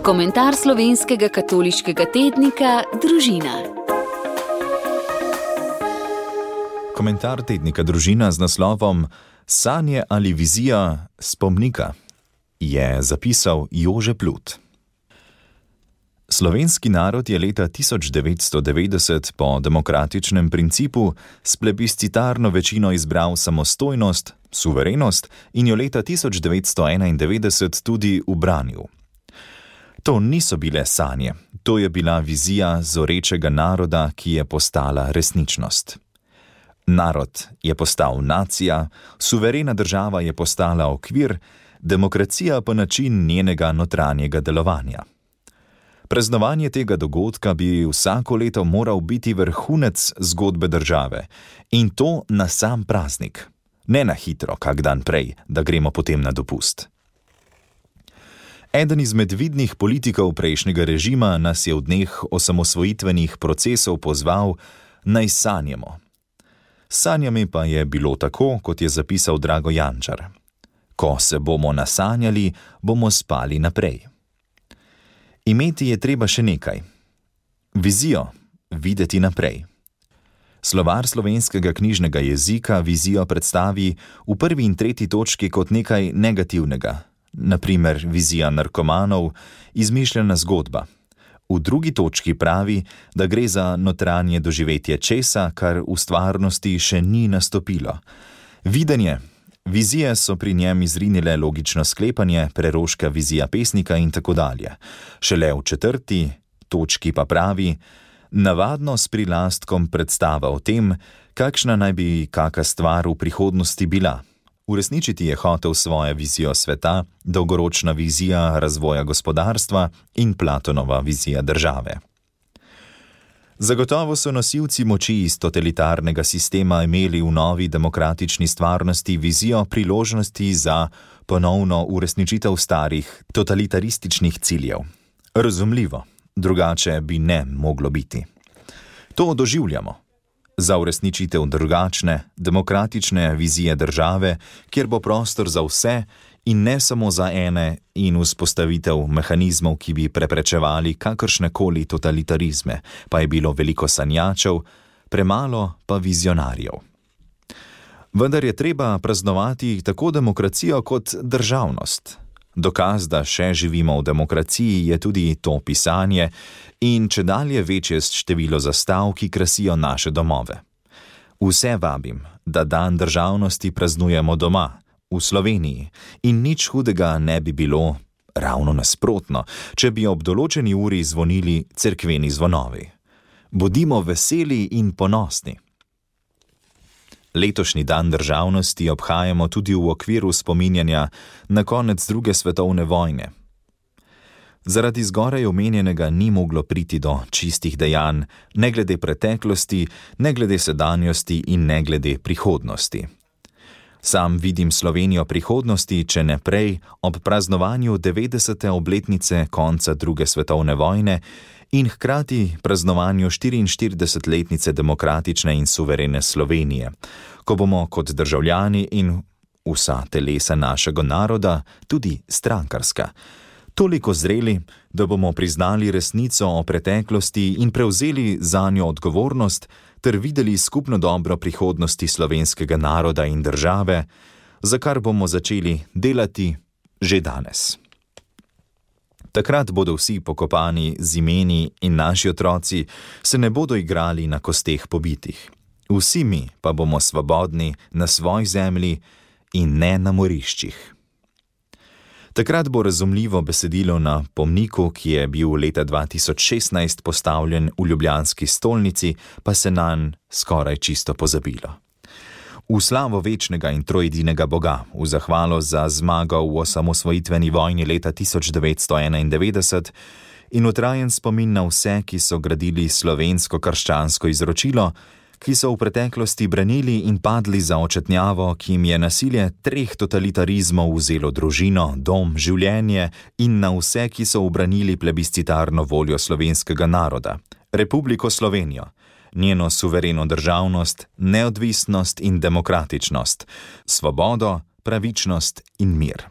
Komentar slovenskega katoliškega tednika Družina. Komentar tednika Družina z naslovom Sanje ali vizija spomnika je zapisal Jože Plut. Slovenski narod je leta 1990 po demokratičnem principu s plebiscitarno večino izbral samostojnost, suverenost in jo leta 1991 tudi ubranil. To niso bile sanje, to je bila vizija zorečega naroda, ki je postala resničnost. Narod je postal nacija, suverena država je postala okvir, demokracija pa način njenega notranjega delovanja. Praznovanje tega dogodka bi vsako leto moral biti vrhunec zgodbe države in to na sam praznik, ne na hitro, kak dan prej, da gremo potem na dopust. Eden izmed vidnih politikov prejšnjega režima nas je v dneh osamosvojitvenih procesov pozval, naj sanjamo. S sanjami pa je bilo tako, kot je zapisal Drago Jančar. Ko se bomo nasanjali, bomo spali naprej. Imeti je treba še nekaj. Vizijo, videti naprej. Slovar slovenskega knjižnega jezika vizijo predstavi v 1. in 3. točki kot nekaj negativnega, na primer vizija narkomanov, izmišljena zgodba. V 2. točki pravi, da gre za notranje doživetje česa, kar v stvarnosti še ni nastopilo. Videnje. Vizije so pri njem izrinile logično sklepanje, preroška vizija pesnika in tako dalje. Šele v 4. točki pa pravi, navadno s prilastkom predstava o tem, kakšna naj bi kaka stvar v prihodnosti bila. Uresničiti je hotel svojo vizijo sveta, dolgoročna vizija razvoja gospodarstva in Platonova vizija države. Zagotovo so nosilci moči iz totalitarnega sistema imeli v novi demokratični stvarnosti vizijo priložnosti za ponovno uresničitev starih totalitarističnih ciljev. Razumljivo, drugače bi ne moglo biti. To doživljamo. Za uresničitev drugačne, demokratične vizije države, kjer bo prostor za vse in ne samo za ene in vzpostavitev mehanizmov, ki bi preprečevali kakršnekoli totalitarizme, pa je bilo veliko sanjačev, premalo pa vizionarjev. Vendar je treba praznovati tako demokracijo kot državnost. Dokaz, da še živimo v demokraciji, je tudi to pisanje in čedalje večje število zastav, ki krasijo naše domove. Vse vabim, da dan državnosti praznujemo doma, v Sloveniji, in nič hudega ne bi bilo, ravno nasprotno, če bi ob določeni uri zvonili cerkveni zvonovi. Bodimo veseli in ponosni. Letošnji dan državnosti obhajamo tudi v okviru spominjanja na konec 2. svetovne vojne. Zaradi zgoraj omenjenega ni moglo priti do čistih dejanj, ne glede preteklosti, ne glede sedanjosti in ne glede prihodnosti. Sam vidim Slovenijo prihodnosti, če ne prej, ob praznovanju 90. obletnice konca 2. svetovne vojne in hkrati praznovanju 44-letnice demokratične in suverene Slovenije, ko bomo kot državljani in vsa telesa našega naroda tudi strankarska, toliko zreli, da bomo priznali resnico o preteklosti in prevzeli zanjo odgovornost ter videli skupno dobro prihodnosti slovenskega naroda in države, za kar bomo začeli delati že danes. Takrat bodo vsi pokopani z imeni in naši otroci se ne bodo igrali na kosteh pobitih. Vsi mi pa bomo svobodni na svoji zemlji in ne na moriščih. Takrat bo razumljivo besedilo na pomniku, ki je bil leta 2016 postavljen v ljubljanski stolnici, pa se nanj skoraj čisto pozabilo. V slavo večnega in trojedinega Boga, v zahvalo za zmago v osamosvojitveni vojni leta 1991 in v trajen spomin na vse, ki so gradili slovensko-krščansko izročilo, ki so v preteklosti branili in padli za očetnjavo, ki jim je nasilje 3 totalitarizmov vzelo družino, dom, življenje in na vse, ki so ubranili plebiscitarno voljo slovenskega naroda, Republiko Slovenijo, njeno suvereno državnost, neodvisnost in demokratičnost, svobodo, pravičnost in mir.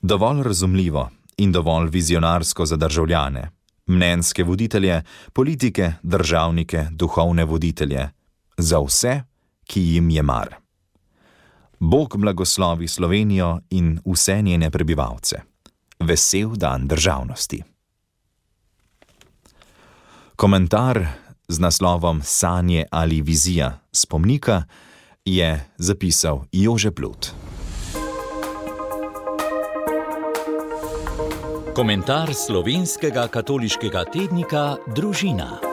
Dovolj razumljivo in dovolj vizionarsko za državljane, mnenjske voditelje, politike, državnike, duhovne voditelje, za vse, ki jim je mar. Bog blagoslovi Slovenijo in vse njene prebivalce. Vesel dan državnosti. Komentar z naslovom Sanje ali vizija spomnika je zapisal Jože Plut. Komentar slovenskega katoliškega tednika Družina.